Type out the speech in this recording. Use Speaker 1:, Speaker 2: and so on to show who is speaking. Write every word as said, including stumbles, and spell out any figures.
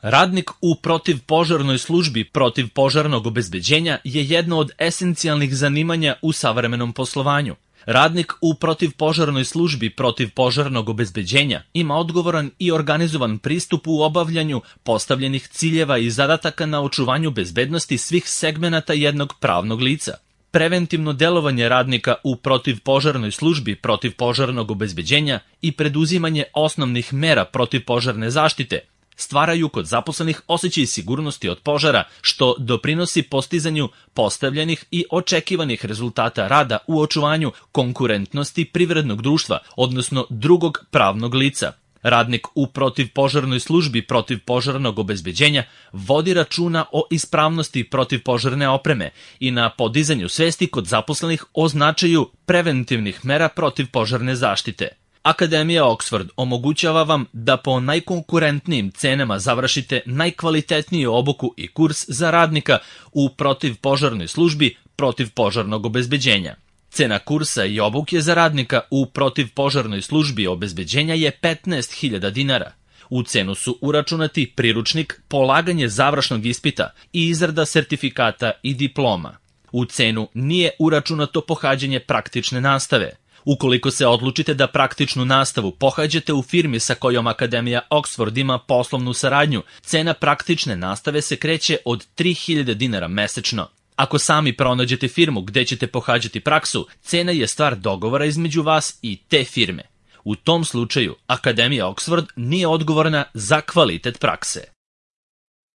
Speaker 1: Radnik u protivpožarnoj službi protivpožarnog obezbeđenja je jedno od esencijalnih zanimanja u savremenom poslovanju. Radnik u protivpožarnoj službi protivpožarnog obezbeđenja ima odgovoran i organizovan pristup u obavljanju postavljenih ciljeva i zadataka na očuvanju bezbednosti svih segmenata jednog pravnog lica. Preventivno delovanje radnika u protivpožarnoj službi protivpožarnog obezbeđenja i preduzimanje osnovnih mera protivpožarne zaštite stvaraju kod zaposlenih osjećaj sigurnosti od požara, što doprinosi postizanju postavljenih i očekivanih rezultata rada u očuvanju konkurentnosti privrednog društva, odnosno drugog pravnog lica. Radnik u protivpožarnoj službi protivpožarnog obezbeđenja vodi računa o ispravnosti protivpožarne opreme i na podizanju svesti kod zaposlenih o značaju preventivnih mera protivpožarne zaštite. Akademija Oxford omogućava vam da po najkonkurentnijim cenama završite najkvalitetniju obuku i kurs za radnika u protivpožarnoj službi protivpožarnog obezbeđenja. Cena kursa i obuke za radnika u protivpožarnoj službi obezbeđenja je petnaest hiljada dinara. U cenu su uračunati priručnik, polaganje završnog ispita i izrada sertifikata i diploma. U cenu nije uračunato pohađanje praktične nastave. Ukoliko se odlučite da praktičnu nastavu pohađate u firmi sa kojom Akademija Oxford ima poslovnu saradnju, cena praktične nastave se kreće od tri hiljade dinara mesečno. Ako sami pronađete firmu gde ćete pohađati praksu, cena je stvar dogovora između vas i te firme. U tom slučaju, Akademija Oxford nije odgovorna za kvalitet prakse.